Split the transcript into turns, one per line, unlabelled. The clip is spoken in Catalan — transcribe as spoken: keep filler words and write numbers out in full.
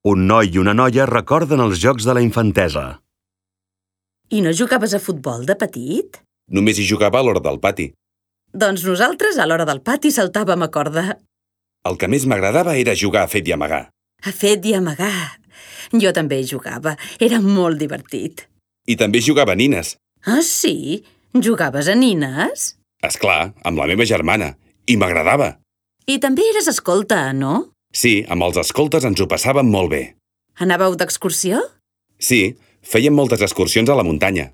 Un noi i una noia recorden els jocs de la infantesa.
I no jugaves a futbol de petit?
Només hi jugava a l'hora del pati.
Doncs nosaltres a l'hora del pati saltàvem a corda.
El que més m'agradava era jugar a fet i amagar.
A fet i amagar. Jo també hi jugava. Era molt divertit.
I també jugava a nines.
Ah, sí? Jugaves a nines?
És clar, amb la meva germana. I m'agradava.
I també eres escolta, no?
Sí, amb els escoltes ens ho passàvem molt bé.
Anàveu d'excursió?
Sí, fèiem moltes excursions a la muntanya.